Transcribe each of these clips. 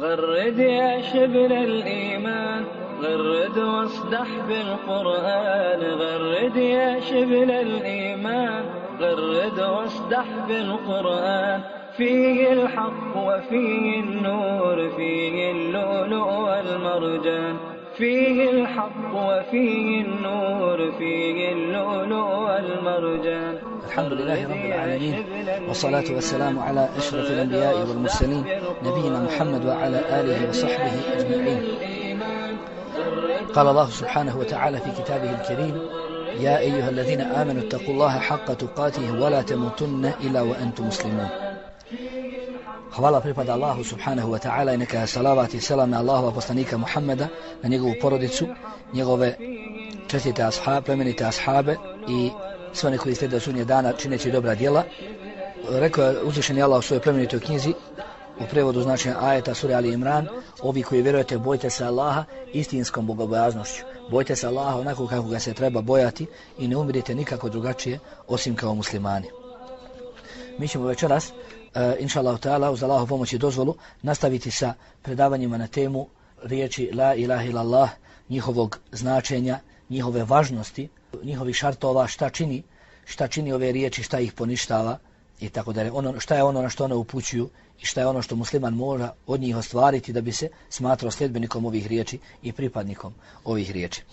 غرد يا شبل الإيمان غرد واصدح بالقرآن غرد يا شبل الإيمان غرد واصدح بالقرآن فيه الحق وفيه النور فيه اللؤلؤ والمرجان فيه الحق وفيه النور فيه اللؤلؤ والمرجان. الحمد لله رب العالمين والصلاة والسلام على أشرف الأنبياء والمرسلين نبينا محمد وعلى آله وصحبه أجمعين. قال الله سبحانه وتعالى في كتابه الكريم: يا أيها الذين آمنوا اتقوا الله حق تقاته ولا تموتن إلا وأنتم مسلمون. Hvala pripada Allahu subhanahu wa ta'ala i neka salavat i selam na Allahova poslanika Muhammeda, na njegovu porodicu, njegove čestite ashabe, plemenite ashabe i sve one koji slijede sudnjeg dana čineći dobra djela. Rekao je uzvišeni Allah u svojoj plemenitoj knjizi, u prevodu značenja ajeta sure Ali Imran: ovi koji vjerujete, bojte se Allaha istinskom bogobojaznošću. Bojte se Allaha onako kako ga se treba bojati i ne umirite nikako drugačije osim kao muslimani. Mi ćemo večeras inša Allah ta'ala uz Allahu pomoć i dozvolu nastaviti sa predavanjima na temu riječi la ilaha illallah, njihovog značenja, njihove važnosti, njihovih šartova, šta čini ove riječi, šta ih poništava i tako dalje. Šta je ono na što one upućuju i šta je ono što musliman mora od njih ostvariti da bi se smatrao sljedbenikom ovih riječi i pripadnikom ovih riječi.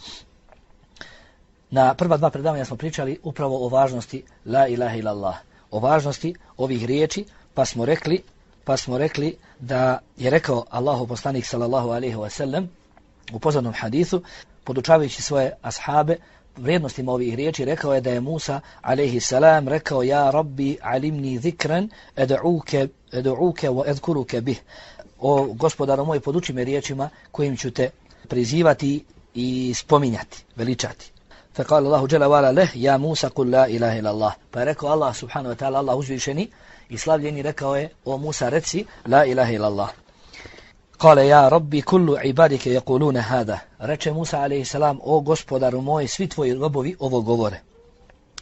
Na prva dva predavanja smo pričali upravo o važnosti la ilaha illallah, o važnosti ovih riječi, pa smo rekli da je rekao Allahu poslanik sallallahu alejhi ve sellem u poznatom hadisu, podučavajući svoje ashabe vrijednostima ovih riječi, rekao je da je Musa alejhi salam rekao: ja rabbi alimni zikran ad'uke wa adhkuruke bih. O gospodaru moj, poduči me riječima kojim ću te prizivati i spominjati, veličati. فقال الله جل وعلا له: يا موسى قل لا إله إلا الله. Pa je rekao Allah subhanahu wa ta'ala, Allah uzvišeni i slavljeni, rekao je: o Musa, reci la ilaha illa Allah. قال يا ربي كل عبادك يقولون هذا. Reče Musa alejhi salam: o gospodaru moj, svi tvoji robovi ovo govore.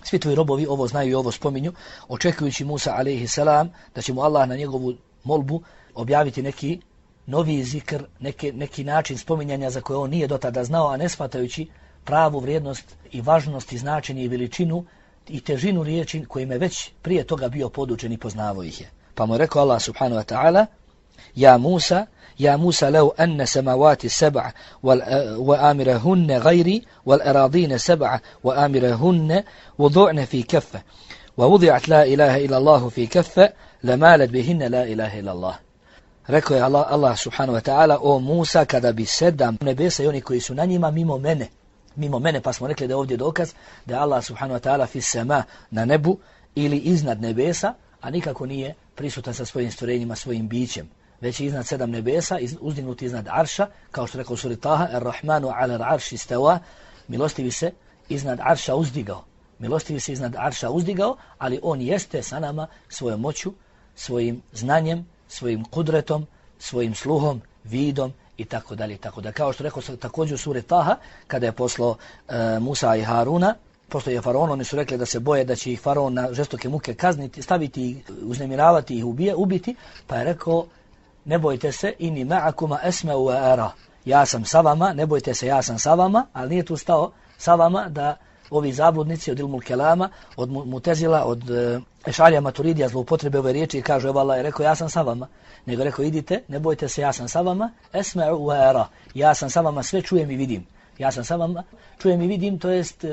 Svi tvoji robovi ovo znaju i ovo spominju, očekujući Musa alejhi salam da će mu Allah na njegovu molbu objaviti neki novi zikr, neki način spominjanja za koje on nije do tada znao, a ne shvatajući pravu vrijednost i važnost i značenje i veličinu i težinu riječi kojim je već prije toga bio podučen i poznavao ih je. Pa mu je rekao Allah subhanahu wa ta'ala: ja Musa law anna samawati sab'a wa amirahunna ghayri wal aradina sab'a wa amirahunna wudu'na fi kaffa wa wudi'at la ilaha illa Allah fi kaffa lamalat bihinna la ilaha illa Allah. Rekao je Allah subhanahu wa ta'ala: o Musa, kada bi 7 nebesa i oni koji su na njima mimo mene, pa smo rekli da je ovdje dokaz da je Allah subhanahu wa ta'ala fi sama, na nebu ili iznad nebesa, a nikako nije prisutan sa svojim stvorenjima, svojim bićem, već je iznad 7 nebesa, uzdignut iznad arša, kao što rekao u suri Taha: Ar-Rahmanu ala arši stava, milostivi se iznad arša uzdigao, ali on jeste sa nama svojom moću, svojim znanjem, svojim kudretom, svojim sluhom, vidom i tako dalje, tako da. Kao što rekao također u suri Taha, kada je poslao Musa i Haruna, poslao je faraon, oni su rekli da se boje da će ih faraon na žestoke muke kazniti, staviti ih, uznemiravati ih, ubiti, pa je rekao: ne bojte se, inni ma'akuma asma'u wa ara. Ja sam sa vama, ne bojte se, ja sam sa vama, ali nije tu stao sa vama da ovi zabludnici od ilmul kelama, od mutezila, od ešalija maturidija zloupotrebe ove riječi i kažu: evo Allah je rekao ja sam sa vama, nego rekao: idite, ne bojte se, ja sam sa vama, esma'u wa ara. Ja sam sa vama, sve čujem i vidim. Ja sam sa vama, čujem i vidim, to jest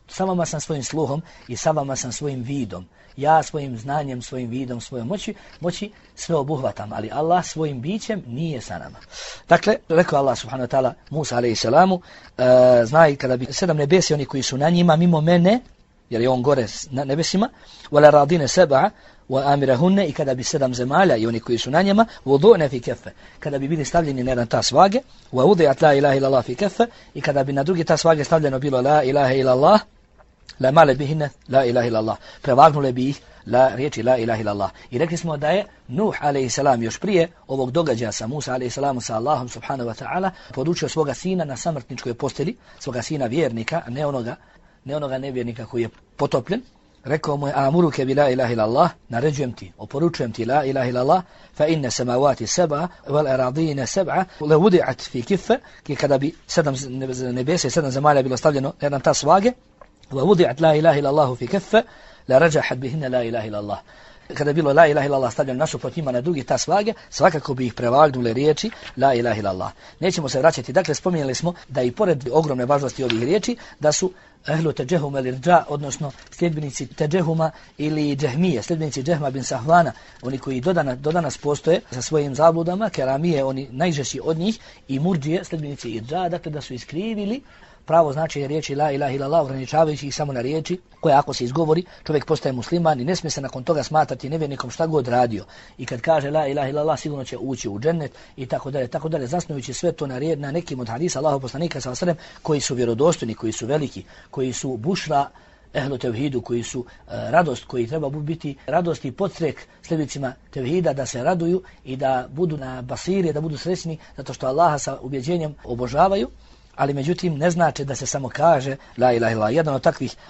sa vama sam svojim sluhom i sa vama sam svojim vidom. Ja svojim znanjem, svojim vidom, svojom moći sve obuhvatam, ali Allah svojim bićem nije sa nama. Dakle, rekao Allah subhanahu wa ta'ala Musa alejhi salamu: znaj, kada bi 7 nebesi, oni koji su na njima mimo mene, jer je on gore na nebesima, wala radine sab'a wa amirahunne, i kada bi 7 zemalja i oni koji su na njima, wudu'na fi kaffe, kada bi bili stavljeni na jedan tas vage, wa wudi'at la ilaha illallah fi kaffe, i kada bi na drugi tas vage stavljeno bilo la ilaha illallah, la male bihinne la ilaha illallah, prevagnule bi ih riječi la ilaha illallah. I rekli smo da je Nuh alejhi salam još prije ovog događaja sa Musa alejhi salam sa Allahom subhanahu wa ta'ala podučio svoga sina na samrtničkoj posteli, svoga sina vjernika, ne onoga nevjernika koji je potopljen, rekao mu je amuruke bi la ilaha illallah, naređujem ti, oporučujem ti la ilaha illallah, fa inne samavati seba, wal aradine seba, le vudi'at fi kiffe, ki kada bi 7 nebesa i 7 zemalja bilo stavljeno na jedan tas vage, wa vudi'at la ilaha illallahu fi kiffe, la rađahat bihinne la ilaha illallah. Kada je bilo la ilaha illallah stavljeno nasuprot njima na drugi tas vage, svakako bi ih prevagnule riječi la ilaha illallah. Nećemo se vraćati, dakle spominjali smo da i pored ogromne važnosti ovih riječi, da su ehlu teđehuma ili rđa, odnosno sljedbenici teđehuma ili džehmije, sljedbenici Džehma bin Sahvana, oni koji do danas postoje sa svojim zabludama, keramije, oni najžešći od njih, i murdžije, sljedbenici irđa, dakle da su iskrivili pravo značenje riječi la ilaha illallah, ograničavajući ih samo na riječi koje ako se izgovori čovjek postaje musliman i ne smije se nakon toga smatrati nevjernikom šta god radio. I kad kaže la ilaha illallah sigurno će ući u džennet i tako dalje, zasnujući sve to na nekim od hadisa Allahov poslanika sallallahu alejhi ve sellem koji su vjerodostojni, koji su veliki, koji su bušra ehlu tevhidu, koji su radost, koji treba biti radost i podstrek sljedbicima tevhida da se raduju i da budu na basiri, da budu srećni zato što Allaha sa ubjeđenjem obožavaju. Ali međutim ne znači da se samo kaže la ilaha illallah. Jedan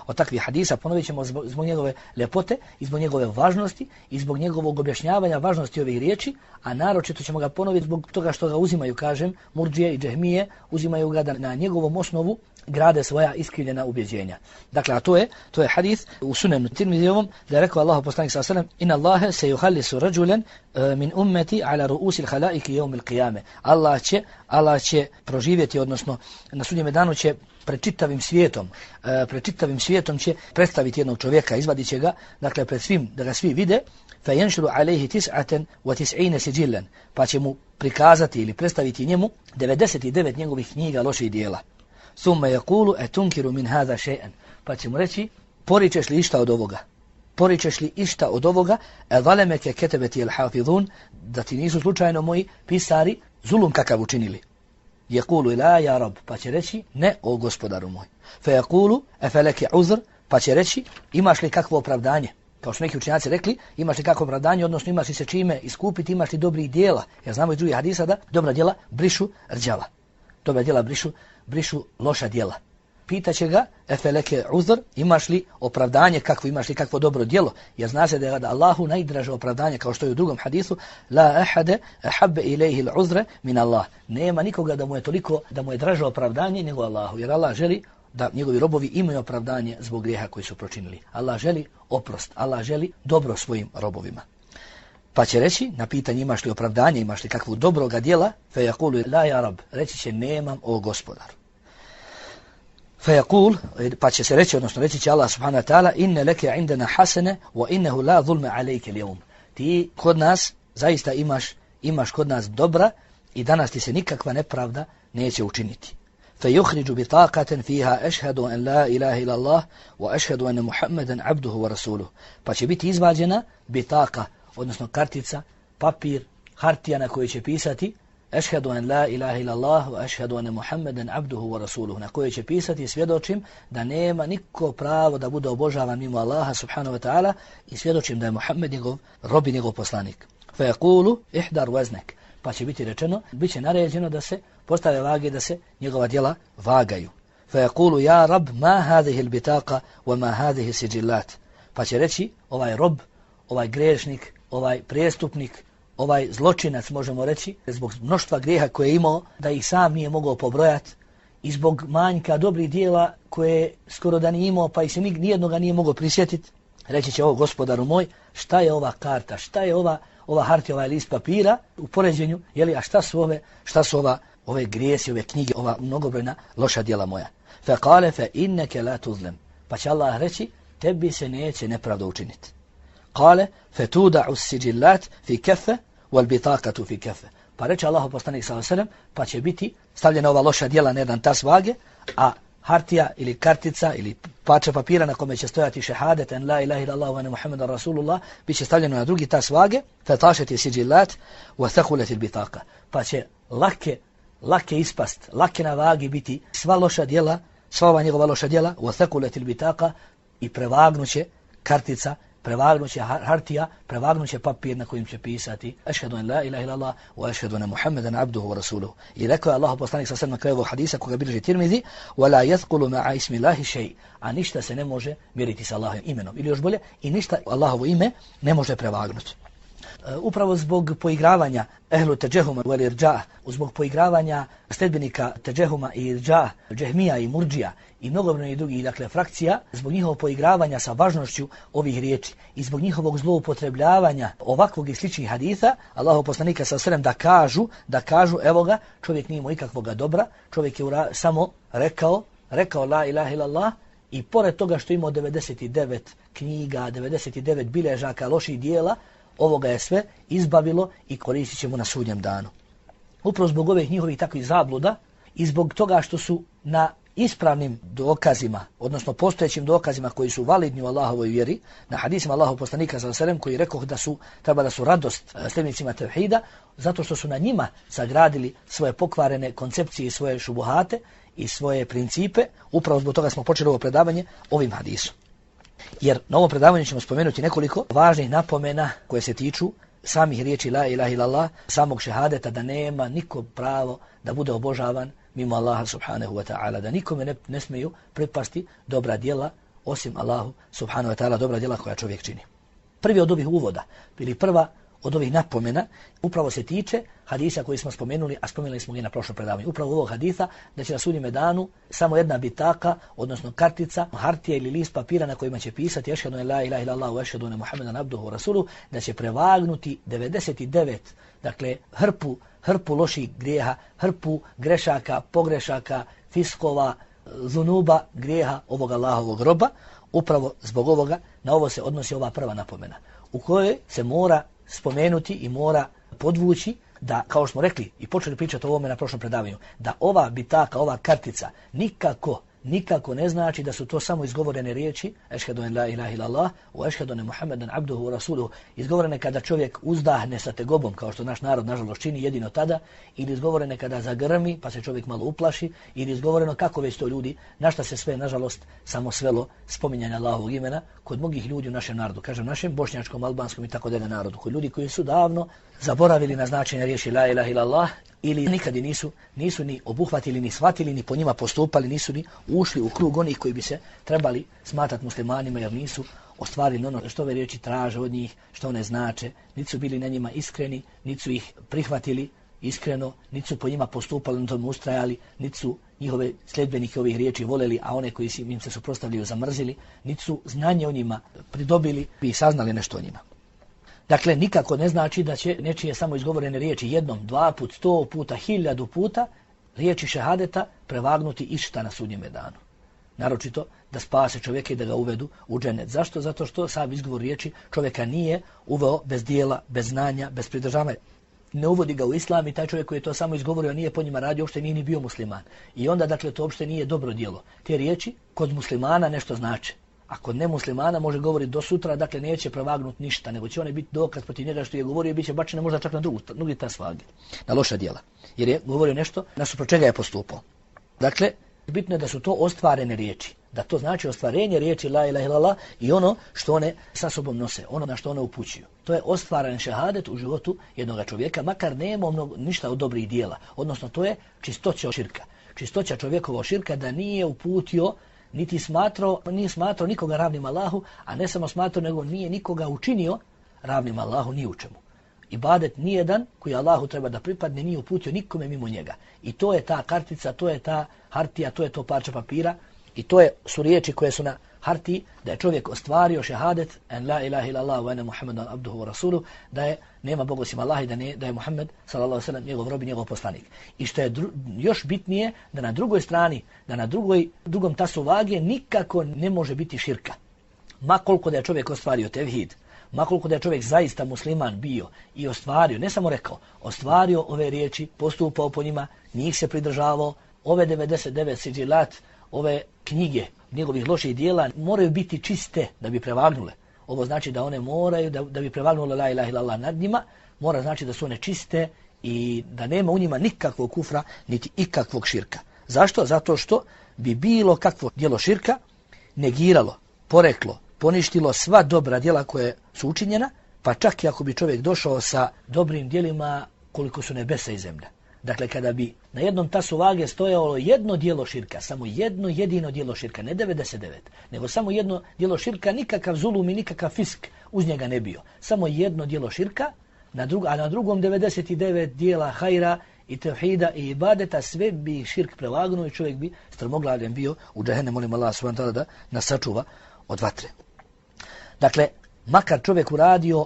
od takvih hadisa, ponovit ćemo zbog njegove ljepote i zbog njegove važnosti i zbog njegovog objašnjavanja važnosti ovih riječi, a naročito ćemo ga ponoviti zbog toga što ga uzimaju, kažem, murdžije i džehmije, uzimaju ga da na njegovom osnovu grade svoja iskrivljena ubjeđenja. Dakle, a to je hadis u Sunenu Tirmizijevom da je rekao Allahu poslanik sallallahu alejhi ve sellem: "Inna Allaha sayuhallisu rajulan min ummati ala ru'usil khalaiqi yawm al-qiyamah." Allah će proživjeti, odnosno na sudnjem danu će pred čitavim svijetom će predstaviti jednog čovjeka, izvadit će ga, dakle pred svim, da ga svi vide, fa yanshuru alayhi 99 sijillan, pa će mu prikazati ili predstaviti njemu 99 njegovih knjiga loših djela. Thumma yaqulu atunkiru min hadha shay'an, pa će mu reći poričeš li išta od ovoga, zalemeke ketebeti al-hafizun, da ti nisu slučajno moji pisari zulum kakav učinili. Yaqulu la ya rab, pa će reći ne, o gospodaru moj. Fa yaqulu afalaka uzr, pa će reći imaš li kakvo opravdanje. Kao što neki učenjaci rekli, imaš li kakvo opravdanje, odnosno imaš li se čime iskupiti, imaš li dobrih djela. Jer znamo iz drugih hadisa da dobra djela brišu rđava. Dobra djela brišu loša djela. Pitaće ga efeleke uzr, imaš li opravdanje, imaš li kakvo dobro djelo, jer zna se da je Allahu najdraže opravdanje, kao što je u drugom hadisu, la ahade ahabbe ilaihi l'uzre min Allah. Nema nikoga da mu je draže opravdanje nego Allahu, jer Allah želi da njegovi robovi imaju opravdanje zbog grijeha koji su počinili. Allah želi oprost, Allah želi dobro svojim robovima. Pa će reći na pitanje imaš li opravdanje, imaš li kakvu dobroga djela, fe yaqulu la ya rab, reći će nemam, o gospodaru. Fayaqul, pa će se reći, odnosno reći će Allah subhanahu wa ta'ala, inne leke indana hasene wa innehu la zulme alejke l'jevm. Ti kod nas zaista imaš kod nas dobra i danas ti se nikakva nepravda neće učiniti. Fayukhriju bitaqatan fiha ashhadu an la ilaha illa Allah wa ashhadu anna Muhammadan abduhu wa rasuluhu. Pa će biti izvađena bitaka, odnosno kartica, papir, hartija na kojoj će pisati Ešhedu an la ilaha illallah wa ešhedu ane Muhammeden abduhu wa rasuluhu, na kojoj će pisati svjedočim da nema niko pravo da bude obožavan mimo Allaha subhanahu wa ta'ala i svjedočim da je Muhammed njegov rob i njegov poslanik. Fa yaqulu ihdar waznak, pa će biti rečeno, bit će naređeno da se postave vage, da se njegova djela vagaju. Fa yaqulu ja rab ma hadhihi al-bitaqa wa ma hadhihi sijillat, pa će reći ovaj rob, ovaj grešnik, ovaj prestupnik, ovaj zločinac, možemo reći, zbog mnoštva grijeha koje je imao, da ih sam nije mogao pobrojati i zbog manjka dobrih dijela koje skoro da nije imao, pa ih se nijednoga nije mogao prisjetiti, reći će ovo gospodaru moj, šta je ova karta, šta je ova hartija, ovaj list papira u poređenju, jeli, a šta su ove grijesi, ove knjige, ova mnogobrojna loša djela moja. Fa qale fa inneke la tuzlem, pa će Allah reći, tebi se neće nepravda učiniti. Qale fa tuda'u sijillat fi kaffe wal bitaqatu fi kaffe. Pa reče Allahu poslanik sallallahu alejhi ve sellem, pa će biti stavljena ova loša djela na jedan tas vage, a hartija ili kartica ili parče papira na kome će stojati šehadet en la ilaha illallah wa anna Muhammadan rasulullah bit će stavljeno na drugi tas vage, fa tashat sijillat wa thaqulat al bitaqa. Pa će lake ispast, lake na vagi biti sva loša djela, sva ova njegova loša djela, wa thaqulat al bitaqa, i prevagnuće kartica prevagnuće hartija, prevagnuće papir na kojim će pisati ešhedu en la ilaha illallah wa ešhedu ene Muhammeden abduhu wa rasuluhu. I rekao je Allahu poslanik sa na kraju ovog hadisa koga bilježi Tirmizi, wala yathqulu ma'a ismi Allahi shay, a ništa se ne može mjeriti sa Allahovim imenom. Ili još bolje, i ništa Allahovo ime ne može prevagnuti. Upravo zbog poigravanja ehlu teđehuma wal irđa, zbog poigravanja sledbenika teđehuma i irđa, džehmija i murdžija i mnogobrojnih drugih frakcija, zbog njihovog poigravanja sa važnošću ovih riječi i zbog njihovog zloupotrebljavanja ovakvog i sličnih haditha, Allahov poslanika sallallahu da kažu evo ga, čovjek nije imao ikakvoga dobra, čovjek je samo rekao la ilaha illallah, i pored toga što imao 99 knjiga, 99 biležaka loših dijela, ovoga je sve izbavilo i koristit ćemo na sudnjem danu. Upravo zbog ovih njihovih takvih zabluda i zbog toga što su na ispravnim dokazima, odnosno postojećim dokazima koji su validni u Allahovoj vjeri, na hadisima Allahov poslanika sallallahu alejhi ve sellem koji rekao da treba da su radost sljedbenicima tevhida, zato što su na njima sagradili svoje pokvarene koncepcije i svoje šubuhate i svoje principe. Upravo zbog toga smo počeli ovo predavanje ovim hadisom. Jer na ovom predavanju ćemo spomenuti nekoliko važnih napomena koje se tiču samih riječi la ilaha illallah, samog šehadeta, da nema niko pravo da bude obožavan mimo Allaha subhanahu wa ta'ala, da nikome ne smiju pripasti dobra djela osim Allahu subhanahu wa ta'ala, dobra djela koja čovjek čini. Prvi od ovih uvoda ili prva od ovih napomena upravo se tiče hadisa koji smo spomenuli, a spomenuli smo ga na prošlom predavanju. Upravo ovog hadisa da će na sudnjem danu samo jedna bitaka, odnosno kartica, hartija ili list papira na kojima će pisati ešhedu en la ilaha illallah wa ešhedu ene Muhammeden abduhu wa rasuluhu, da će prevagnuti 99, dakle hrpu loših grijeha, hrpu grešaka, pogrešaka, fiskova, zunuba, grijeha ovog Allahovog roba. Upravo zbog ovoga na ovo se odnosi ova prva napomena u kojoj se mora spomenuti i mora podvući da, kao što smo rekli i počeli pričati o ovome na prošlom predavanju, da ova bitaka, ova kartica nikako ne znači da su to samo izgovorene riječi ešhedu en la ilaha illallah wa ešhedu ene Muhammeden abduhu wa rasuluhu, izgovorene kada čovjek uzdahne sa tegobom, kao što naš narod nažalost čini jedino tada, ili izgovorene kada zagrmi pa se čovjek malo uplaši, ili izgovoreno kako već to ljudi, na šta se sve nažalost samo svelo spominjanje Allahovog imena kod mnogih ljudi u našem narodu, kažem našem bošnjačkom, albanskom i tako dalje narodu, kod ljudi koji su davno zaboravili na značenje riječi la ilaha illallah ili nikad nisu ni obuhvatili, ni shvatili, ni po njima postupali, nisu ni ušli u krug onih koji bi se trebali smatrati muslimanima, jer nisu ostvarili ono što ove riječi traže od njih, što one znače, niti su bili na njima iskreni, niti su ih prihvatili iskreno, niti su po njima postupali, na tom ustrajali, niti su njihove sljedbenike ovih riječi voleli, a one koji im se suprotstavljaju zamrzili, niti su znanje o njima pridobili i saznali nešto o njima. Dakle, nikako ne znači da će nečije samo izgovorene riječi jednom, 2 puta, 100 puta, 1000 puta riječi šehadeta prevagnuti išta na sudnjem danu. Naročito da spase čovjeka i da ga uvedu u džennet. Zašto? Zato što sam izgovor riječi čovjeka nije uveo bez dijela, bez znanja, bez pridržavanja. Ne uvodi ga u islam i taj čovjek koji je to samo izgovorio nije po njima radio, uopšte nije ni bio musliman. I onda dakle to uopšte nije dobro djelo. Te riječi kod muslimana nešto znače. A kod nemuslimana može govoriti do sutra, dakle neće prevagnuti ništa, nego će one biti dokaz protiv njega što je govorio i bit će bačene možda čak na drugi tas vage, na loša djela. Jer je govorio nešto nasuprot čega je postupao. Dakle, bitno je da su to ostvarene riječi, da to znači ostvarenje riječi la ilaha illallah i ono što one sa sobom nose, ono na što one upućuju. To je ostvaren šehadet u životu jednog čovjeka, makar nema ništa od dobrih djela. Odnosno to je čistoća širka. Čistoća čovjekovog širka da nije uputio niti nije smatrao nikoga ravnim Allahu, a ne samo smatrao, nego nije nikoga učinio ravnim Allahu ni u čemu. Ibadet nijedan koji Allahu treba da pripadne nije uputio nikome mimo njega. I to je ta kartica, to je ta hartija, to je to parče papira i to su riječi koje su na hartiji da je čovjek ostvario šehadet en la ilaha illallah wa ene Muhammeden abduhu wa rasuluhu, da nema Boga osim Allaha i da je Muhammed sallallahu alejhi ve sellem njegov rob i njegov poslanik. I što je još bitnije, da na drugoj strani, da na drugom tasu vage nikako ne može biti širka. Ma koliko da je čovjek ostvario tevhid, ma koliko da je čovjek zaista musliman bio i ostvario, ne samo rekao, ostvario ove riječi, postupao po njima, njih se pridržavao, ove 99 siđilat, ove knjige njegovih loših dijela moraju biti čiste da bi prevagnule. Ovo znači da one moraju, da bi prevagnule la ilaha illallah nad njima, mora znači da su one čiste i da nema u njima nikakvog kufra, niti ikakvog širka. Zašto? Zato što bi bilo kakvo djelo širka negiralo, poreklo, poništilo sva dobra djela koje su učinjena, pa čak i ako bi čovjek došao sa dobrim djelima koliko su nebesa i zemlja. Dakle, kada bi na jednom tasu vage stojalo jedno djelo širka, samo jedno jedino djelo širka, ne 99, nego samo jedno djelo širka, nikakav zulum i nikakav fisk uz njega ne bio. Samo jedno djelo širka, a na drugom 99 djela hajra i tevhida i ibadeta, sve bi širk prevagnuo i čovjek bi strmoglavljen bio u džehennem. Molim Allah subhanahu wa ta'ala da nas sačuva od vatre. Dakle, makar čovjek uradio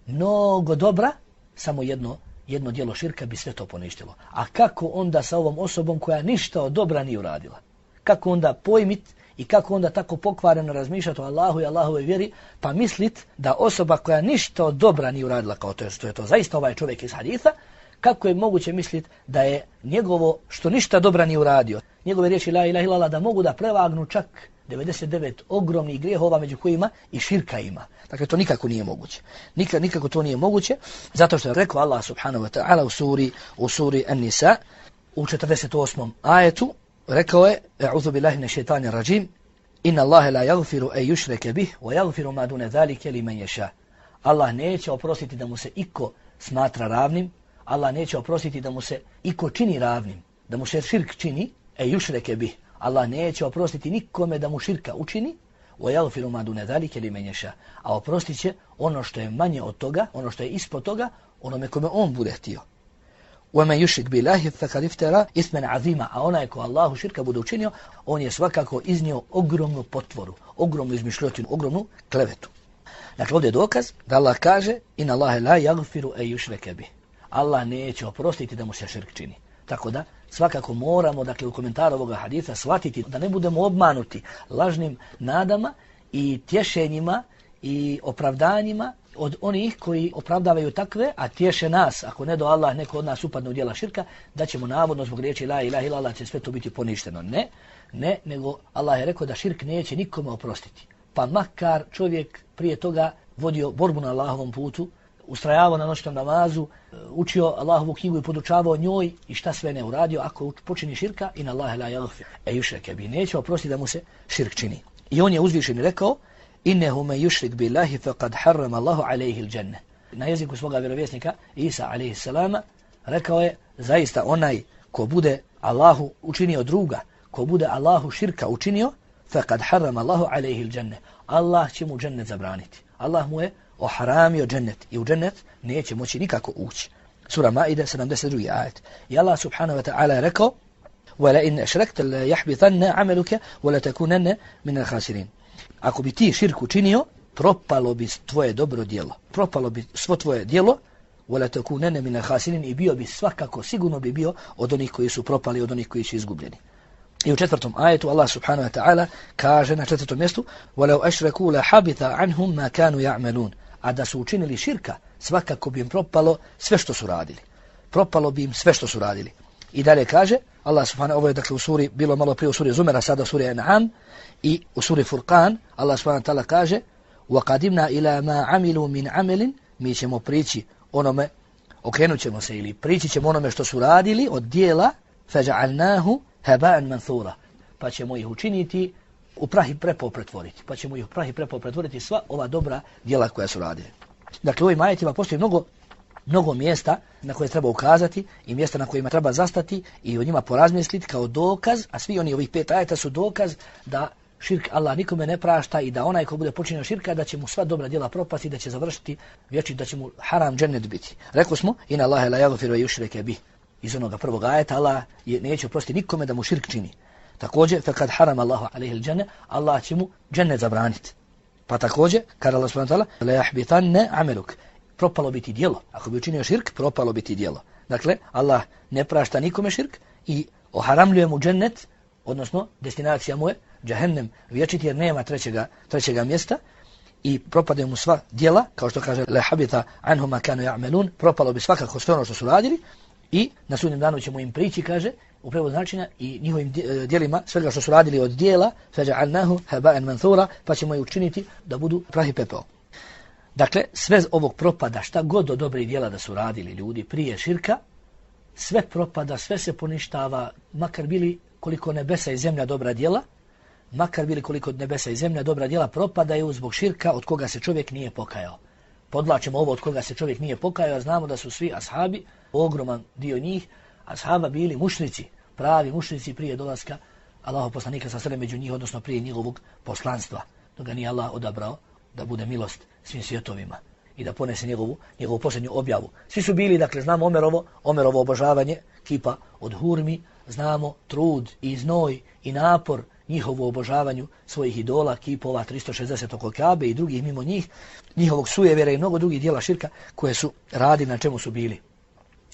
mnogo dobra, samo jedno djelo širka bi sve to poništilo. A kako onda sa ovom osobom koja ništa od dobra nije uradila? Kako onda pojmit i kako onda tako pokvareno razmišljati o Allahu i Allahove vjeri, pa mislit da osoba koja ništa od dobra nije uradila, kao to je to zaista ovaj čovjek iz haditha, kako je moguće misliti da je njegovo što ništa dobra nije uradio, njegove riječi la ilaha illallah da mogu da prevagnu čak 99 ogromnih grijehova među kojima i širka ima. Dakle, to nikako nije moguće. Nikako to nije moguće, zato što je rekao Allah subhanahu wa ta'ala u suri An-Nisa, u 48. ajetu, rekao je, A'udhu billahi minash shaitanir rajim, inna Allaha la yaghfiru an yushraka bih wa yaghfiru ma duna zalika liman yasha. Allah neće oprostiti da mu se iko smatra ravnim, Allah neće oprostiti da mu se iko čini ravnim, da mu se širk čini, yushraka bih. Allah neće oprostiti nikome da mu širka učini, وَيَغْفِرُ مَا دُونَ ذَلِكَ لِمَنْ يَشَاءُ. A oprostit će ono što je manje od toga, ono što je ispod toga, onome kome on bude htio. وَمَنْ يُشْرِكْ بِاللَّهِ فَقَدِ افْتَرَى إِثْمًا عَظِيمًا. A onaj ko Allahu širka bude učinio, on je svakako iznio ogromnu potvoru, ogromnu izmišljotinu, ogromnu klevetu. Dakle, ovdje je dokaz da Allah kaže inna Allahe la yaghfiru an yushraka bih. Allah neće oprostiti da mu se širk čini. Tako da svakako moramo, dakle, u komentaru ovoga hadisa shvatiti da ne budemo obmanuti lažnim nadama i tješenjima i opravdanjima od onih koji opravdavaju takve, a tješe nas, ako ne do Allah neko od nas upadne u djela širka, da ćemo navodno zbog riječi la ilaha illallah će sve to biti poništeno. Ne, nego Allah je rekao da širk neće nikome oprostiti. Pa makar čovjek prije toga vodio borbu na Allahovom putu, ustrajavao na noćnom namazu, učio Allahovu knjigu i podučavao njoj i šta sve ne uradio, ako počini širka, inna Allahe la yaghfir an yushraka bih, neće oprostiti da mu se širk čini. I on je uzvišeni rekao, innehu men yushrik billahi faqad harrama Allahu alayhi al-janna. Na jeziku svoga vjerovjesnika Isa alejhi selama rekao je, zaista onaj ko bude Allahu učinio druga, ko bude Allahu širka učinio, faqad harrama Allahu alayhi al-janna. Allah će mu džennet zabraniti. Allah mu je oharamio džennet i u džennet neće moći nikako ući. Sura Maide 72. ajet. I Allah subhanahu wa ta'ala je rekao, وَلَا إِنْ أَشْرَكْتَ لَيَحْبِطَنَّ عَمَلُكَ وَلَتَكُونَنَّ مِنَ الْخَاسِرِينَ. Ako bi ti širku činio, propalo bi tvoje dobro djelo. Propalo bi svo tvoje djelo, وَلَتَكُونَنَّ مِنَ الْخَاسِرِينَ, i bio bi svakako, sigurno bi bio od onih koji su propali, od onih koji su izgubljeni. I u 4. ajetu Allah subhanahu wa ta'ala kaže na 4. mjestu, وَلَوْ أَشْرَكُوا لَحَبِطَ عَنْهُمْ مَا كَانُوا يَعْمَلُونَ. A da su učinili širka, svakako bi im propalo sve što su radili. Propalo bi im sve što su radili. I dalje kaže, Allah subhanahu, ovo je dakle u suri, bilo malo prije u suri Zumera, sada u suri An'am, i u suri Furqan, Allah subhanahu ta'ala kaže, وَقَدِمْنَا إِلَى مَا عَمِلُوا مِنْ عَمَلٍ. Mi ćemo prići onome, okrenut ćemo se ili prići ćemo onome što su radili od dijela, فَجَعَلْنَاهُ هَبَاءً مَنْثُورًا. Pa ćemo ih učiniti u prah i prepol pretvoriti. Pa ćemo ih u prah i prepol pretvoriti sva ova dobra djela koja su radili. Dakle, u ovim ajetima postoji mnogo mjesta na koje treba ukazati i mjesta na kojima treba zastati i o njima porazmisliti kao dokaz, a svi oni ovih 5 ajeta su dokaz da širk Allah nikome ne prašta i da onaj ko bude počinio širka da će mu sva dobra djela propasti i da će završiti vječni, da će mu haram džennet biti. Rekli smo, inna Allahe la yaghfiru an yushraka bih. Iz onoga prvog ajeta Allah neće oprostiti nikome da mu širk čini. Također, faqad harama Allahu alayhi al-janna, Allah će mu džennet zabraniti. Pa također, kada Allah subhanahu wa ta'ala, la yahbitanna amaluk, propalo biti djelo. Ako bi učinio širk, propalo biti djelo. Dakle, Allah ne prašta nikome širk i oharamljuje mu džennet, odnosno destinacija mu je džehennem vječiti jer nema trećega mjesta i propadaju mu sva djela, kao što kaže la habita anhum ma kanu ya'malun, propalo bi svakako sve ono što su radili i na sudnjem danu ćemo im prići, kaže, u prevodu značenja i njihovim djelima, svega što su radili od djela, فَجَعَلْنَاهُ هَبَاءً مَنْثُورًا, pa ćemo ih učiniti da budu prah i pepeo. Dakle, sve ovog propada, šta god od dobrih djela da su radili ljudi prije širka, sve propada, sve se poništava, makar bili koliko nebesa i zemlja dobra djela, makar bili koliko od nebesa i zemlja, dobra djela propadaju zbog širka od koga se čovjek nije pokajao. Podlačimo ovo od koga se čovjek nije pokajao, a znamo da su svi ashabi, ogroman dio njih, ashaba bili mušrici, pravi mušrici prije dolaska Allahov poslanika sa među njih, odnosno prije njegovog poslanstva. Dok ga nije Allah odabrao da bude milost svim svjetovima i da ponese njegovu posljednju objavu. Svi su bili, dakle, znamo Omerovo obožavanje kipa od hurmi, znamo trud i znoj i napor njihovu obožavanju svojih idola, kipova 360 oko Kabe i drugih mimo njih, njihovog sujevjera i mnogo drugih dijela širka koje su radili, na čemu su bili.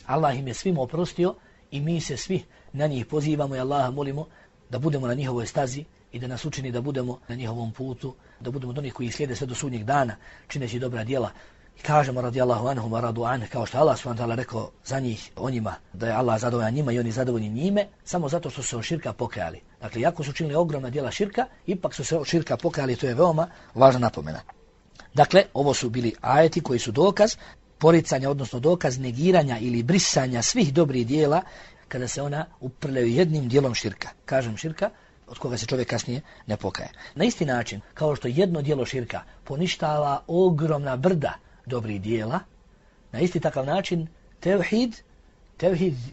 Allah im je svima oprostio i mi se svi na njih pozivamo i Allaha molimo da budemo na njihovoj stazi i da nas učini da budemo na njihovom putu, da budemo od onih koji slijede sve do sudnjeg dana, čineći dobra djela. I kažemo radijallahu anhum wa radu an, kao što Allah subhanahu wa ta'ala rekao za njih, o njima, da je Allah zadovoljan njima i oni zadovoljni njime, samo zato što su se od širka pokajali. Dakle, jako su činili ogromna djela širka, ipak su se od širka pokajali, to je veoma važna napomena. Dakle, ovo su bili ajeti koji su dokaz poricanja, odnosno dokaz negiranja ili brisanja svih dobrih djela kada se ona uprljaju jednim dijelom širka. Kažem širka, od koga se čovjek kasnije ne pokaje. Na isti način, kao što jedno dijelo širka poništava ogromna brda dobrih dijela, na isti takav način tevhid,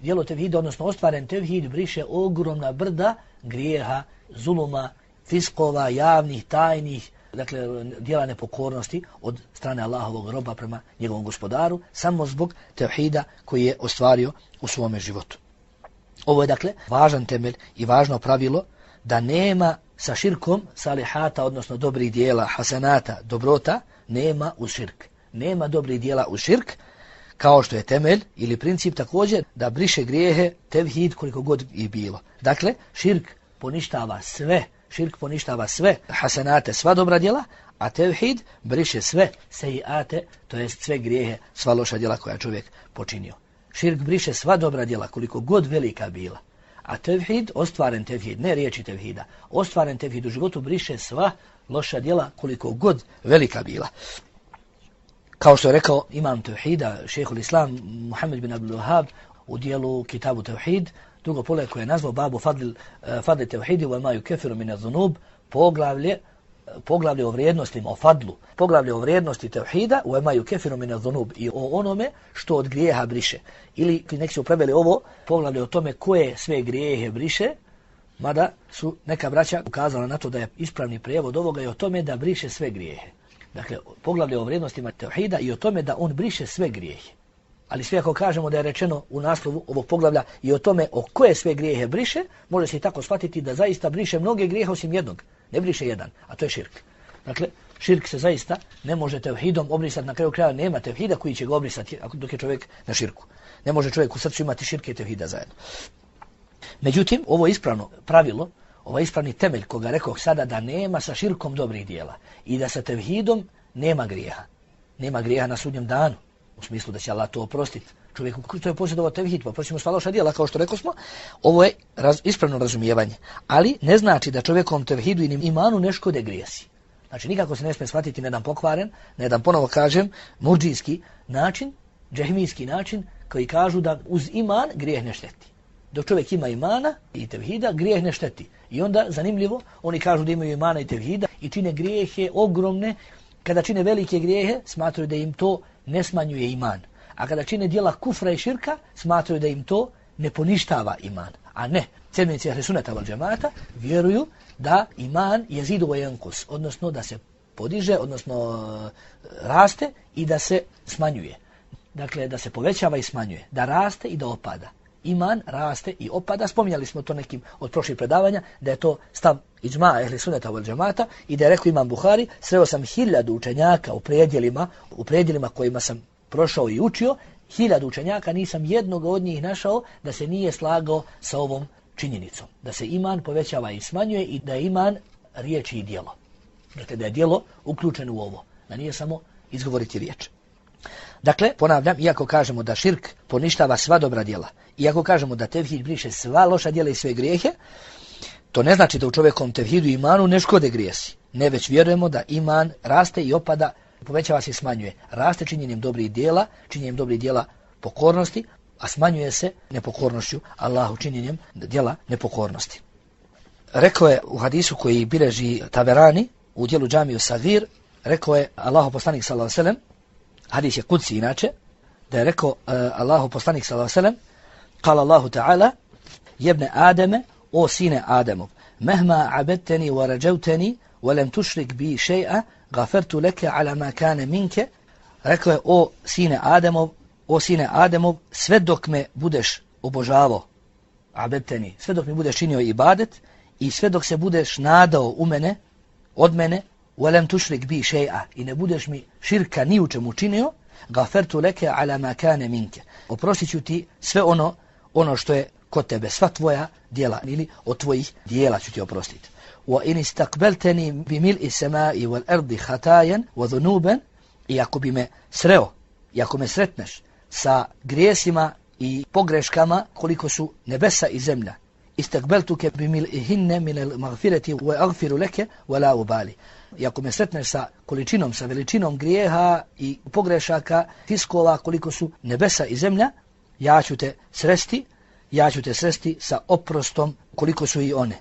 dijelo tevhida, odnosno ostvaren tevhid, briše ogromna brda grijeha, zuluma, fiskova, javnih, tajnih, dakle, dijela nepokornosti od strane Allahovog roba prema njegovom gospodaru, samo zbog tevhida koji je ostvario u svome životu. Ovo je, dakle, važan temelj i važno pravilo da nema sa širkom salihata, odnosno dobrih dijela, hasanata, dobrota, nema uz širk. Nema dobrih dijela uz širk, kao što je temelj ili princip također da briše grijehe tevhid koliko god i bilo. Dakle, širk poništava sve hasanate, sva dobra djela, a tevhid briše sve sejiate, to jest sve grijehe, sva loša djela koja čovjek počinio. Širk briše sva dobra djela koliko god velika bila, a tevhid, ostvaren tevhid, ne riječi tevhida, ostvaren tevhid u životu briše sva loša djela koliko god velika bila. Kao što je rekao imam tevhida, šejhul islam Muhammed bin Abdul Wahhab u dijelu Kitabu Tevhid, drugo poglavlje koje je nazvao Babu Fadli Tevhidi wa ma yukeffiru min adh-dhunub, poglavlje o vrijednostima, o fadlu, poglavlje o vrijednosti tevhida wa ma yukeffiru min adh-dhunub i o onome što od grijeha briše. Ili neki su preveli ovo poglavlje o tome koje sve grijehe briše, mada su neka braća ukazala na to da je ispravni prijevod ovoga i o tome da briše sve grijehe. Dakle, poglavlje o vrijednostima tevhida i o tome da on briše sve grijehe. Ali sve ako kažemo da je rečeno u naslovu ovog poglavlja i o tome o koje sve grijehe briše, može se i tako shvatiti da zaista briše mnoge grijehe osim jednog. Ne briše jedan, a to je širk. Dakle, širk se zaista ne može tevhidom obrisati, na kraju kraja nema tevhida koji će ga obrisati dok je čovjek na širku. Ne može čovjek u srcu imati širke i tevhida zajedno. Međutim, ovo ispravno pravilo, ovaj ispravni temelj koga rekao sada da nema sa širkom dobrih dijela i da sa tevhidom nema grijeha. Nema grijeha na sudnjem danu, u smislu da će Allah to oprostiti. Čovjeku koji je posjedovao tevhid, pa prosimo sva loša djela, kao što rekao smo, ovo je ispravno razumijevanje. Ali ne znači da čovjekom tevhidu i imanu ne škode grijesi. Znači nikako se ne smije shvatiti na jedan pokvaren, na jedan, ponovo kažem, murdžijski način, džehmijski način, koji kažu da uz iman grijeh ne šteti. Dok čovjek ima imana i tevhida, grijeh ne šteti. I onda, zanimljivo, oni kažu da imaju imana i tevhida i čine grijehe ogromne. Kada čine velike grijehe, smatraju da im to ne smanjuje iman. A kada čine djela kufra i širka, smatraju da im to ne poništava iman. A ne, sljedbenici Ahli Sunneta wal Džemata vjeruju da iman jezidu wa yanqus, odnosno da se podiže, odnosno raste i da se smanjuje. Dakle, da se povećava i smanjuje, da raste i da opada. Iman raste i opada. Spominjali smo to nekim od prošlih predavanja, da je to stav iđma Ehli Sunneta wal Džemata i da je rekao imam Buhari, sreo sam 1000 učenjaka u predjelima kojima sam prošao i učio, 1000 učenjaka, nisam jednog od njih našao da se nije slagao sa ovom činjenicom. Da se iman povećava i smanjuje i da je iman riječ i djelo. Dakle, da je djelo uključeno u ovo, da nije samo izgovoriti riječ. Dakle, ponavljam, iako kažemo da širk poništava sva dobra djela, iako kažemo da tevhid briše sva loša djela i sve grijehe, to ne znači da u čovjekom tevhidu i imanu ne škode grijesi. Ne, već vjerujemo da iman raste i opada, povećava se i smanjuje. Raste činjenjem dobrih djela pokornosti, a smanjuje se nepokornošću Allahu, činjenjem djela nepokornosti. rekao je u hadisu koji bilježi Taberani u dijelu Džamiju Sagir, rekao je Allahu poslanik sallallahu alejhi ve sellem, hadis je kudsi inače, da je rekao Allahu poslanik sallallahu alejhi ve sellem, kala Allahu ta'ala, jebne Ademe, o sine Ademov, mehma abedteni wa rađevteni, wa lem tušrik bi še'a, gafertu leke ala ma kane minke. Rekao je, o sine Ademov, sve dok me budeš obožavao, abedteni, sve dok mi budeš činio ibadet i sve dok se budeš nadao u mene, od mene, وَلَمْ تُشْرِكْ بِي شَيْئًا, i ne budeš mi širka ni u čemu činio, غَفَرْتُ لَكَ عَلَى مَا كَانَ مِنْكَ, oprostit ću ti sve ono što je kod tebe, sva tvoja djela, ili od tvojih djela ću ti oprostiti. وَإِنِ اسْتَقْبَلْتَنِي بِمِلْءِ السَّمَاءِ وَالْأَرْضِ خَطَايًا وَذُنُوبًا, i ako bi me sreo, i ako me sretneš sa grijesima i pogreškama koliko su nebesa i zemlja, istakbeltuke bimil'ihinne minel magfireti wa agfiru leke wa la ubali. I ako me sretneš sa količinom, sa veličinom grijeha i pogrešaka, tiskova koliko su nebesa i zemlja, ja ću te sresti sa oprostom koliko su i one.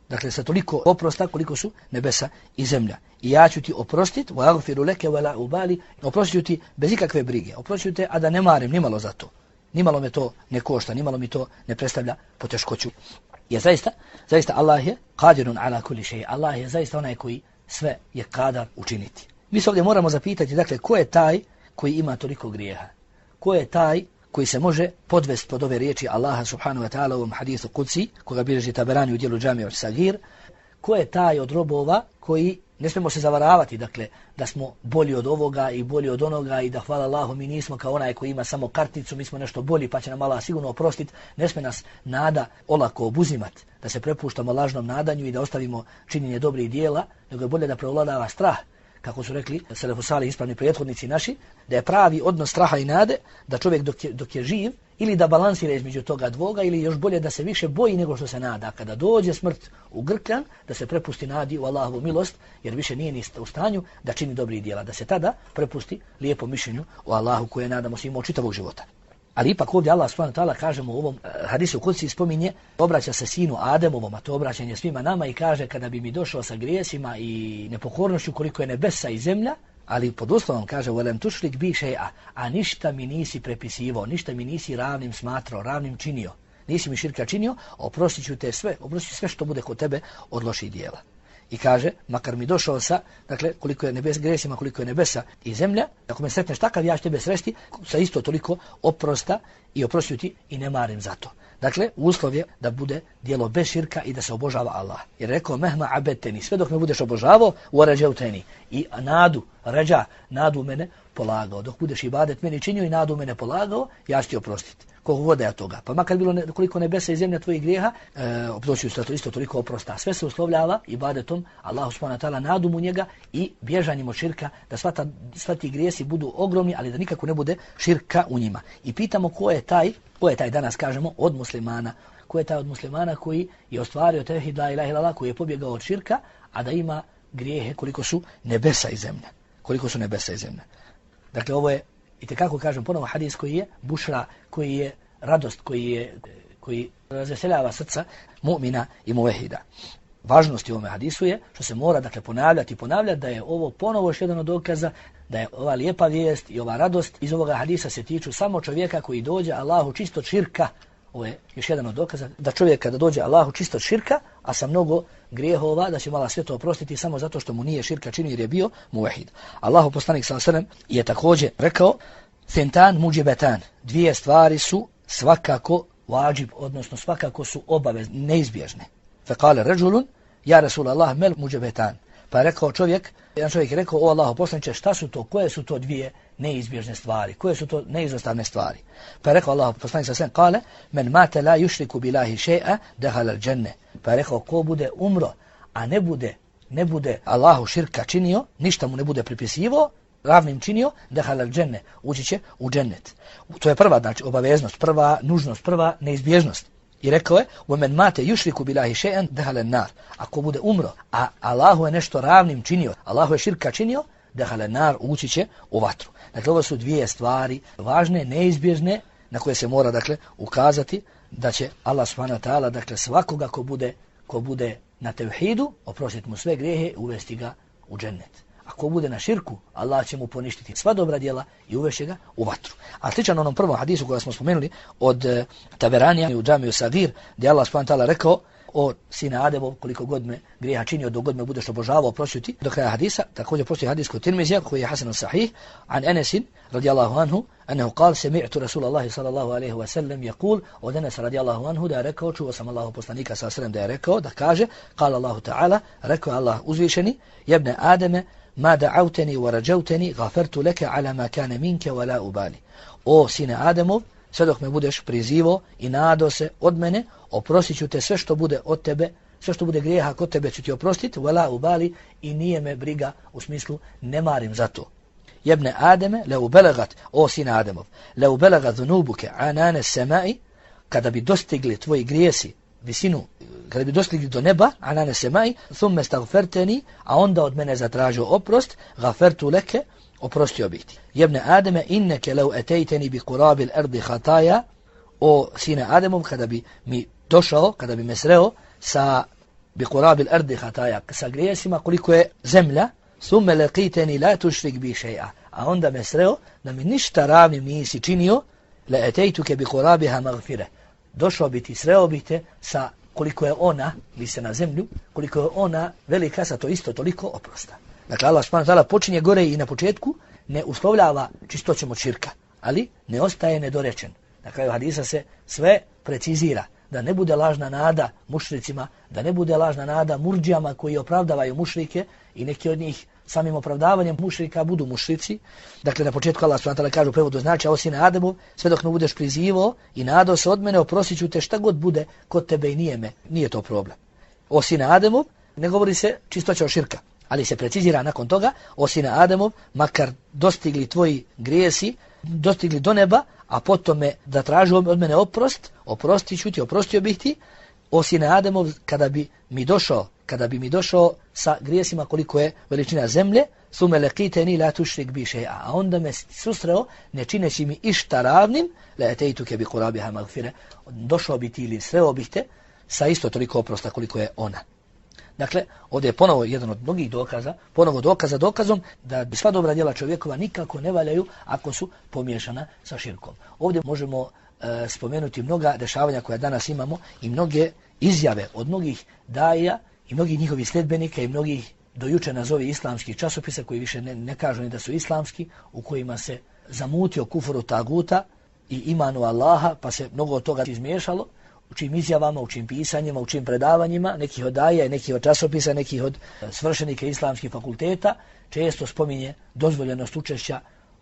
Dakle, sa toliko oprosta koliko su nebesa i zemlja. I ja ću ti oprostit, wa agfiru leke wa la ubali, oprostit ću ti bez ikakve brige, oprostit ću te, a da ne marim nimalo za to. Nimalo me to ne košta, nimalo mi to ne predstavlja poteškoću. Jer zaista Allah je qadirun ala kulli shay. Allah je zaista onaj koji sve je kadar učiniti. Mi se ovdje moramo zapitati, dakle, ko je taj koji ima toliko grijeha? Ko je taj koji se može podvesti pod ove riječi Allaha subhanahu wa ta'ala u ovom hadisu Qudsi, koga bilježi Taberani u dijelu Džamiju Sagir? Ko je taj od robova koji, ne smijemo se zavaravati, dakle, da smo bolji od ovoga i bolji od onoga i da hvala Allahu mi nismo kao onaj koji ima samo karticu, mi smo nešto bolji pa će nam Allah sigurno oprostiti. Ne smije nas nada olako obuzimati, da se prepuštamo lažnom nadanju i da ostavimo činjenje dobrih dijela, nego je bolje da prevladava strah. Kako su rekli selefu salih, ispravni prethodnici naši, da je pravi odnos straha i nade, da čovjek dok je živ, ili da balansira između toga dvoga, ili još bolje da se više boji nego što se nada. Kada dođe smrt u grkljan, da se prepusti nadi u Allahovu milost, jer više nije ni u stanju da čini dobrih djela. Da se tada prepusti lijepom mišljenju o Allahu koje nadamo se imao čitavog života. Ali ipak ovdje Allah subhanahu wa ta'ala, kažemo u ovom hadisu Qudsi, spominje, obraća se sinu Ademovom, a to obraćanje svima nama, i kaže, kada bi mi došao sa grijesima i nepokornošću koliko je nebesa i zemlja, ali pod uslovom kaže وَلَمْ تُشْرِكْ بِي شَيْئًا, a ništa mi nisi prepisivao, ništa mi nisi ravnim smatrao, ravnim činio, nisi mi širka činio, oprostit ću sve što bude kod tebe od loših dijela. I kaže, makar mi došao sa, dakle, koliko je grijesima, koliko je nebesa i zemlja, ako me sretneš takav, ja ću tebe sresti sa isto toliko oprosta i oprostio ti i ne marim za to. Dakle, uslov je da bude djelo bez širka i da se obožava Allah. Jer rekao, mehma abeteni, sve dok me budeš obožavao, u rađevteni, i nadu mene polagao. Dok budeš ibadet meni činio i nadu mene polagao, ja ću ti oprostiti. Koliko god je toga. Pa makar bilo koliko nebesa i zemlja tvojih grijeha, oprošću se isto toliko oprosta. Sve se uslovljava ibadetom Allahu subhanahu wa ta'ala, nadum u njega i bježanjem od širka, da sva ti grijesi budu ogromni, ali da nikako ne bude širka u njima. I pitamo ko je taj danas, kažemo, od muslimana. Ko je taj od muslimana koji je ostvario tevhid la ilaha illallah, koji je pobjegao od širka, a da ima grijehe koliko su nebesa i zemlja. Dakle, ovo je, itekako kažem ponovo, hadis koji je bušra, koji je radost, koji razveseljava srca mu'mina i muvehida. Važnost u ovome hadisu je što se mora, dakle, ponavljati, da je ovo ponovo još jedan od dokaza da je ova lijepa vijest i ova radost iz ovoga hadisa se tiču samo čovjeka koji dođe Allahu čisto od širka. Ovo je još jedan od dokaza da čovjek kada dođe Allahu čisto od širka, a sa mnogo grijehova, da će Allah sve to oprostiti samo zato što mu nije širka činio jer je bio muvehid. Allahu poslanik sallallahu alejhi ve sellem je također rekao, thintan mujibetan, dvije stvari su svakako vađib, odnosno svakako su obavezne, neizbježne. Fekale ređulun, ja Rasulallah, mel mujibetan. Pa je rekao jedan čovjek je rekao, o Allahu poslaniče, šta su to, koje su to dvije neizbježne stvari, koje su to neizostavne stvari? Pa je rekao Allahu poslanik sallallahu alejhi ve sellem, kale, men mate la yushriku billahi shay'a dakhala al-janna. Pa je rekao, ko bude umro, a ne bude Allahu širka činio, ništa mu ne bude pripisivao, ravnim činio, dakhala al-janna, ući će u džennet. To je prva, znači, obaveznost, prva nužnost, prva neizbježnost. I rekao je, وَمَنْ مَاتَ يُشْرِكُ بِلَهِ شَيْئًا دَخَلَ النَّارِ. Ako bude umro, a Allahu je nešto ravnim činio, Allahu je širka činio, دَخَلَ النَّارِ, ući će u vatru. Dakle, ovo su dvije stvari važne, neizbježne, na koje se mora, dakle, ukazati da će Allah subhanahu wa ta'ala, dakle, svakoga ko bude na tevhidu, oprostiti mu sve grijehe i uvesti ga u džennet. Ako bude na širku, Allah će mu poništiti sva dobra djela i uvešće ga u vatru. A sličan onom prvom hadisu koja smo spomenuli od Taberanija u Džamiju Sagir, gdje Allah subhanahu wa ta'ala rekao: o sine Ademov, koliko god me grijeha činio, dok god me budeš obožavao, oprostio ti. Do kraja hadisa, također postoji hadis kod Tirmizija, koji je hasan sahih, an Enesin, radijallahu anhu, annahu qal, sami'tu Rasulallahi sallallahu alaihi wa sallam, yaqul, od Enes radijallahu anhu, da je rekao, čuo sam Allahu poslanika sallallahu alaihi wa sallam, da je rekao, da kaže, qala Allahu ta'ala, rekao Allah uzvišeni, jebne Ademe, ma da'auteni wa rađauteni, gafertu leke ala ma kane minke wa la ubali. O sine Ademov, sve dok me budeš prizivo i nado se od mene, oprostit ću te sve što bude od tebe, sve što bude grijeha kod tebe ću ti oprostiti, wala ubali, i nije me briga, u smislu ne marim za to. Jebne Ademe, leu belagat, o sine Ademov, leu belagat dhunubuke anane semai, kada bi dostigli tvoji grijesi visinu, kada bi dostigli do neba, anane semai, thumme stagferteni, a onda od mene zatražio oprost, gafertu leke, oprostio bih ti. Jebne Ademe, inneke leu etejteni bi kurabil erdi hataja, o sine Ademov, kada bi mi došao, kada bi me sreo sa bi kurabil erdi hataja, sa grijesima koliko je zemlja, thumme lekiteni la tušrik bi še'a, a onda me sreo da mi ništa ravnim nisi činio, le etejtuke bi kurabiha magfire, došao bi ti, sreo bi te sa koliko je ona, vi se na zemlju, koliko je ona velika, sa to isto toliko oprosta. Dakle, Allah subhanahu wa ta'ala počinje gore i na početku ne uslovljava čistoćom od širka, ali ne ostaje nedorečen. Na kraju hadisa se sve precizira, da ne bude lažna nada mušricima, da ne bude lažna nada murdžijama koji opravdavaju mušrike i neki od njih samim opravdavanjem mušrika budu mušrici. Dakle, na početku Allah subhanahu wa ta'ala kaže u prevodu znači: o sine Ademov, sve dok ne budeš prizivo i nadao se od mene, oprostit ću te šta god bude kod tebe i nije to problem. O sine Ademov, ne govori se čistoća od širka, ali se precizira nakon toga: o sine Ademov, makar dostigli tvoji grijesi, dostigli do neba, a potom da traži od mene oprost, oprostit ću ti, oprostio bih ti. O sine Ademov, kada bi mi došao sa grijesima koliko je veličina zemlje, thumme lekiteni la tušrik bi še'a, a onda me susreo ne čineći mi išta ravnim, le etejtuke bi kurabiha magfire, došao bi ti ili sreo bih te sa isto toliko oprosta koliko je ona. Dakle, ovdje je ponovo jedan od mnogih dokaza, dokazom da bi sva dobra djela čovjekova nikako ne valjaju ako su pomiješana sa širkom. Ovdje možemo spomenuti mnoga dešavanja koja danas imamo i mnoge izjave od mnogih daija i mnogih njihovih sljedbenika i mnogih dojuče nazovi islamskih časopisa koji više ne kažu ni da su islamski, u kojima se zamutio kufru taguta i imanu Allaha, pa se mnogo od toga izmiješalo, u čim izjavama, u čim pisanjima, u čim predavanjima, nekih od daija i nekih od časopisa, nekih od svršenika islamskih fakulteta, često spominje dozvoljenost učešća,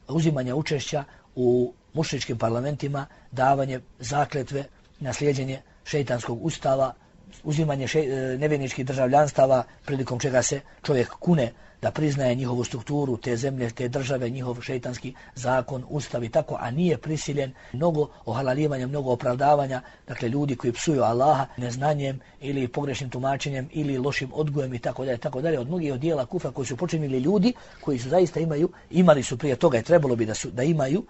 uzimanja učešća u mušričkim parlamentima, davanje zakletve, naslijeđenje šejtanskog ustava, uzimanje nevjerničkih državljanstava, prilikom čega se čovjek kune da priznaje njihovu strukturu, te zemlje, te države, njihov šejtanski zakon, ustav i tako, a nije prisiljen, mnogo ohalalivanja, mnogo opravdavanja, dakle ljudi koji psuju Allaha neznanjem ili pogrešnim tumačenjem ili lošim odgojem i tako dalje, od mnogih od dijela kufra koji su počinili ljudi koji su zaista imali su prije toga i trebalo bi da imaju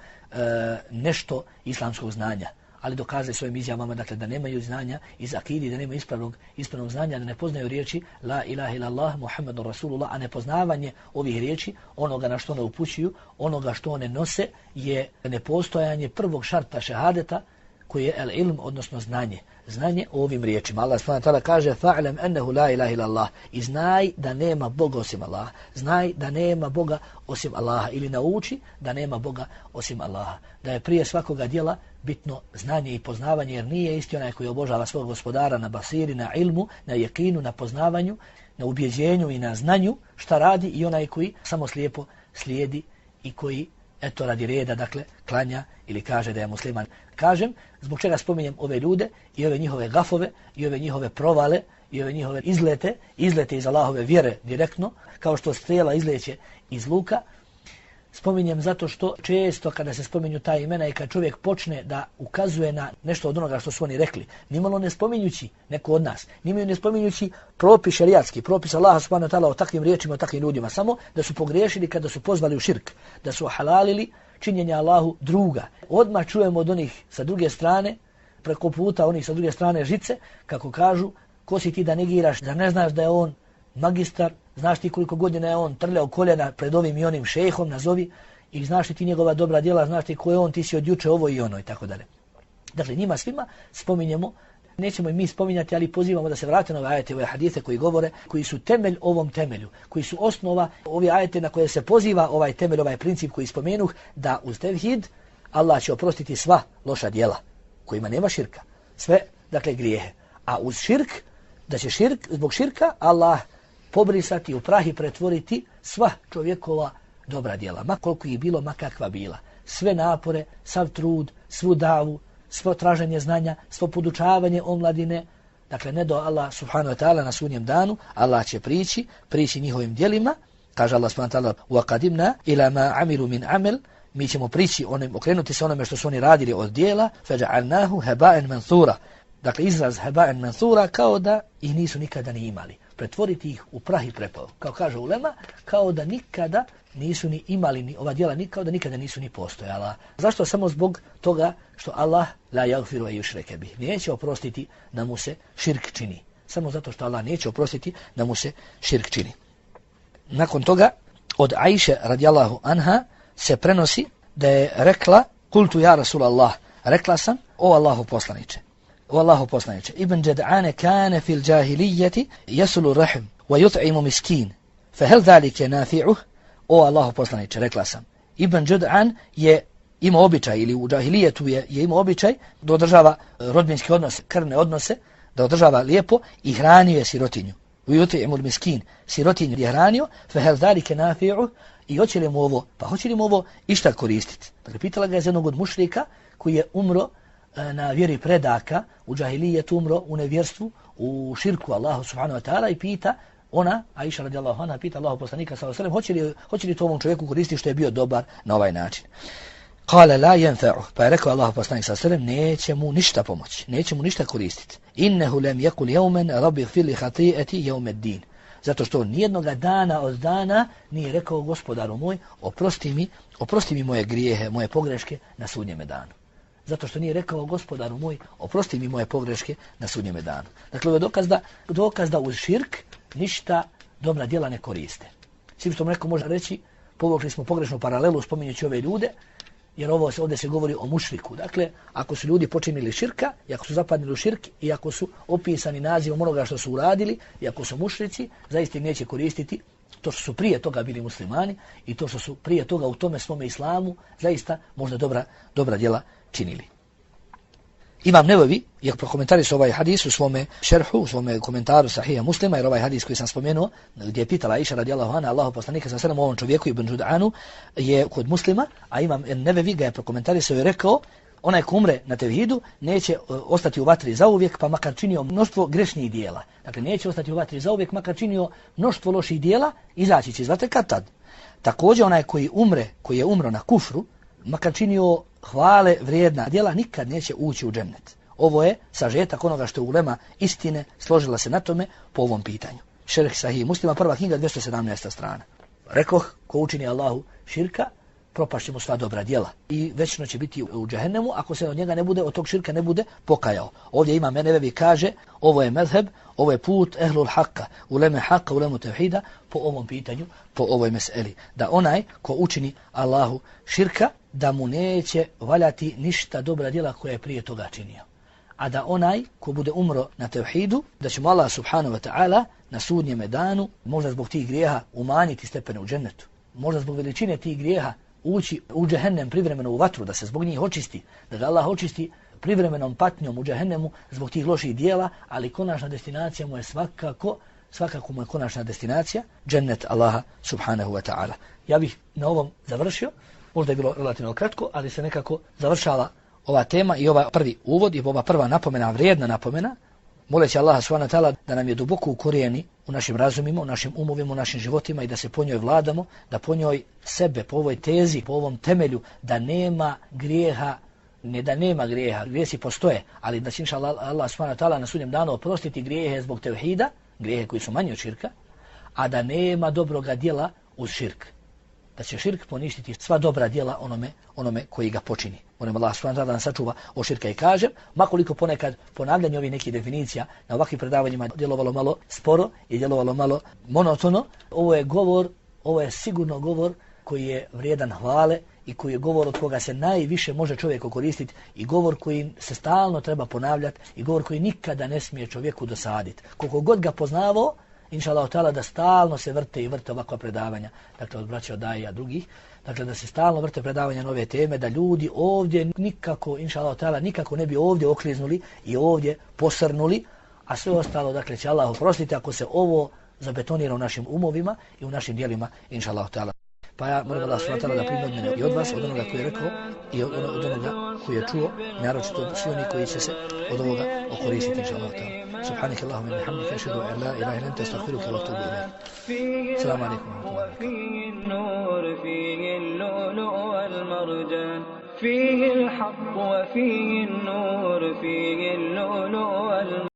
nešto islamskog znanja, ali dokazali svojim izjavama, dakle, da nemaju znanja iz akidi, da nemaju ispravnog znanja, da ne poznaju riječi la ilaha illallah Muhammadun Rasulullah, a nepoznavanje ovih riječi, onoga na što one upućuju, onoga što one nose, je nepostojanje prvog šarta šehadeta, koji je el ilm, odnosno znanje o ovim riječima. Allah subhanahu wa ta'ala kaže: fa'lam annahu la ilaha illallah, i znaj da nema Boga osim Allaha. Znaj da nema Boga osim Allaha, ili nauči da nema Boga osim Allaha. Da je prije svakoga djela bitno znanje i poznavanje, jer nije isti onaj koji obožava svog gospodara na basiri, na ilmu, na jekinu, na poznavanju, na ubjeđenju i na znanju šta radi, i onaj koji samo slijepo slijedi i koji eto radi reda, dakle, klanja ili kaže da je musliman. Kažem, zbog čega spominjem ove ljude i ove njihove gafove i ove njihove provale i ove njihove izlete iz Allahove vjere direktno, kao što strijela izleće iz luka. Spominjem zato što često kada se spominju ta imena i kad čovjek počne da ukazuje na nešto od onoga što su oni rekli, nimalo ne spominjući neko od nas, nimalo ne spominjući propis šerijatski, propis Allaha subhanahu wa ta'ala o takvim riječima, o takvim ljudima, samo da su pogriješili kada su pozvali u širk, da su halalili činjenje Allahu druga. Odmah čujemo od onih sa druge strane, preko puta onih sa druge strane žice, kako kažu, Ko si ti da negiraš, da ne znaš da je on magistar, znaš ti koliko godina je on trljao koljena pred ovim i onim šejhom, nazovi, i znaš ti njegova dobra djela, znaš ti ko je on, ti si od juče ovo i ono i tako dalje. Dakle, njima svima spominjemo, nećemo i mi spominjati, ali pozivamo da se vrate na ove ajete, ove hadise koji govore, koji su temelj ovom temelju, koji su osnova, ovi ajete na koje se poziva ovaj temelj, ovaj princip koji spomenuh, da uz tevhid Allah će oprostiti sva loša djela, kojima nema širka, sve, dakle, grijehe. A uz širk, da će zbog širka Allah pobrisati, u prah i pretvoriti sva čovjekova dobra djela, ma koliko ih bilo, ma kakva bila. Sve napore, sav trud, svu davu, svo traženje znanja, svo podučavanje omladine, dakle ne do Allah subhanahu wa ta'ala na sudnjem danu, Allah će prići njihovim djelima, kaže Allah subhanahu wa ta'ala وَقَدِمْنَا إِلَا مَا عَمِلُوا مِنْ عَمِلٍ, mi ćemo okrenuti se onome što su oni radili od djela, فَجَعَلْنَاهُ هَبَاءً مَنْثُورًا, dakle izraz hebaen mansura, kao da ih nisu nikada ni imali. Pretvoriti ih u prah i prepao. Kao kaže ulema, kao da nikada nisu ni imali ni ova djela, kao da nikada nisu ni postojala. Zašto? Samo zbog toga što Allah la yaghfiru an yushraka bih. Neće oprostiti da mu se širk čini. Samo zato što Allah neće oprostiti da mu se širk čini. Nakon toga od Ajše radijallahu anha se prenosi da je rekla: "Kultu ja Rasulallah", rekla sam: "O Allahov poslanice, o Allahov poslanice, Ibn Jad'an kana fil jahiliyyati yaslu rahm wa yut'imu miskin, fa hal zalika nafi'uh?" O Allahov poslanice, rekla sam, Ibn Jad'an je imao običaj, ili u džahilijetu je imao običaj da održava rodbinske odnose, krvne odnose, da održava lijepo i hranio je sirotinju. Yut'imu miskin, sirotinju je hranio, fa hal zalika nafi'uh? I hoće li mu ovo išta koristiti? Dakle, pitala ga je jednog od mušrika koji je umro na vjeri predaka, u džahilijetu umro, u nevjerstvu, u širku Allahu subhanahu wa ta'ala, i pita ona, Aisha radijallahu anha, pita Allahu poslanika sallallahu alejhi ve sellem, hoće li to ovom čovjeku koristiti što je bio dobar na ovaj način? Kale la yanfa'u, pa je rekao Allahu poslanik sallallahu alejhi ve sellem, neće mu ništa pomoći, neće mu ništa koristiti. Innehu lam yakul yawman rabbi ighfir li khati'ati yawm ad-din. Zato što nijednog dana od dana nije rekao: Gospodaru moj, oprosti mi moje grijehe, moje pogreške na sudnjem danu. Zato što nije rekao: Gospodaru moj, oprosti mi moje pogreške na sudnjem danu. Dakle, ovo je dokaz da uz širk ništa dobra djela ne koriste. Svim što neko može reći, povukli smo pogrešnu paralelu spominjući ove ljude, jer ovdje se govori o mušriku. Dakle, ako su ljudi počinili širka, i ako su zapadnili u širk, i ako su opisani nazivom onoga što su uradili, i ako su mušrici, zaista im neće koristiti to što su prije toga bili muslimani i to što su prije toga u tome svome islamu zaista možda dobra djela činili. Imam Nevevi je prokomentarisao ovaj hadis u svome šerhu, u svome komentaru Sahija Muslima, jer ovaj hadis koji sam spomenuo, gdje je pitala Aisha radijallahu anha Allahu poslanika sallallahu alejhi ve sellem, ovom čovjeku Ibn Jud'anu, je kod Muslima, a Imam Nevevi ga je prokomentarisao i rekao: onaj ko umre na tevhidu neće ostati u vatri zauvijek, pa makar činio mnoštvo grešnih dijela. Dakle, neće ostati u vatri zauvijek, makar činio mnoštvo loših dijela, izaći će iz vatre kad tad. Također onaj koji je umro na kufru, makar činio hvale vrijedna djela, nikad neće ući u džennet. Ovo je sažetak onoga što je ulema istine složila se na tome po ovom pitanju. Šerh Sahih Muslima, prva knjiga, 217. strana. Rekoh, ko učini Allahu širka, propašće mu sva dobra djela i večno će biti u džehennemu ako se od njega od tog širka ne bude pokajao. Ovdje Imam Nevevi kaže: ovo je mezheb, ovo je put ehlul haqqa, uleme haqqa, ulemu tevhida, po ovom pitanju, po ovoj meseli. Da onaj ko učini Allahu širka, da mu neće valjati ništa dobra djela koje je prije toga činio. A da onaj ko bude umro na tevhidu, da će mu Allah subhanahu wa ta'ala na sudnjem danu možda zbog tih grijeha umanjiti stepene u džennetu. Možda zbog veličine tih grijeha ući u džehennem privremeno u vatru, da se zbog njih očisti, da ga Allah očisti privremenom patnjom u džehennemu zbog tih loših dijela, ali konačna destinacija mu je svakako mu je konačna destinacija džennet Allaha subhanahu wa ta'ala. Ja bih na ovom završio, možda je bilo relativno kratko, ali se nekako završala ova tema i ova prvi uvod i ova prva napomena, vrijedna napomena, moleći Allaha subhanahu wa ta'ala da nam je duboko ukorijeni u našim razumima, u našim umovima, u našim životima i da se po njoj vladamo, da po njoj sebe, po ovoj tezi, po ovom temelju, da nema grijeha, ne da nema grijeha, grijesi postoje, ali da će Allah subhanahu wa ta'ala na sudnjem danu oprostiti grijehe zbog tevhida, grijehe koji su manji od širka, a da nema dobroga djela uz širk. da će širk poništiti sva dobra djela onome koji ga počini. Molim Allah subhanahu wa ta'ala da nas sačuva od širka. I kažem, makoliko ponekad ponavljanje ovih nekih definicija na ovakvim predavanjima djelovalo malo sporo i djelovalo malo monotono, ovo je sigurno govor koji je vrijedan hvale i koji je govor od koga se najviše može čovjek koristiti i govor koji se stalno treba ponavljati i govor koji nikada ne smije čovjeku dosaditi. Koliko god ga poznavao, inša Allah ta'ala, da stalno se vrte ovakva predavanja, dakle od braća od daija drugih, dakle da se stalno vrte predavanja na ove teme, da ljudi ovdje nikako, inša Allah ta'ala, nikako ne bi ovdje okliznuli i ovdje posrnuli, a sve ostalo, dakle, će Allah oprostiti ako se ovo zabetonira u našim umovima i u našim dijelima, inša Allah ta'ala. Pa ja molim Allah subhanahu wa ta'ala da primi od mene i od vas, od onoga koji je rekao i od onoga koji je čuo, naročito svi oni koji će se od ovoga okoristiti, inša Allah ta'ala. سبحانك اللهم وبحمدك أشهد أن لا إله إلا أنت أستغفرك وأتوب إليك. السلام عليكم ورحمة الله وبركاته. فيه النور فيه اللؤلؤ والمرجان فيه الحق وفيه النور فيه اللؤلؤ والمرجان